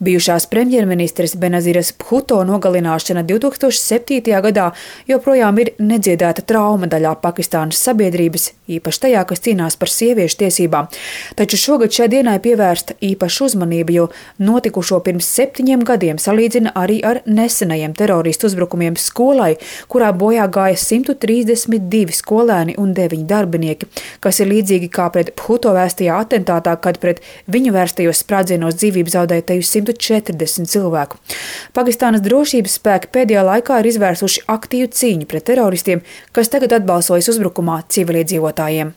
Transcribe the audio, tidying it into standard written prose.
Bijušās premjerministres Benaziras Bhuto nogalināšana 2007. gadā joprojām ir nedziedēta trauma daļā Pakistānas sabiedrības, īpaši tajā, kas cīnās par sieviešu tiesībām. Taču šogad šai dienai pievērsta īpaša uzmanība, jo notikušo pirms 7 gadiem salīdzina arī ar nesenajiem teroristu uzbrukumiem skolai, kurā bojā gāja 132 skolēni un 9 darbinieki, kas ir līdzīgi kā pret Bhuto vēstajā atentātā, kad pret viņu vērstajos sprādzienos dzīvību zaudēja teju 140 cilvēku. Pakistānas drošības spēki pēdējā laikā ir izvērsuši aktīvu cīņu pret teroristiem, kas tagad atbalsojas uzbrukumā civiliedzīvotājiem.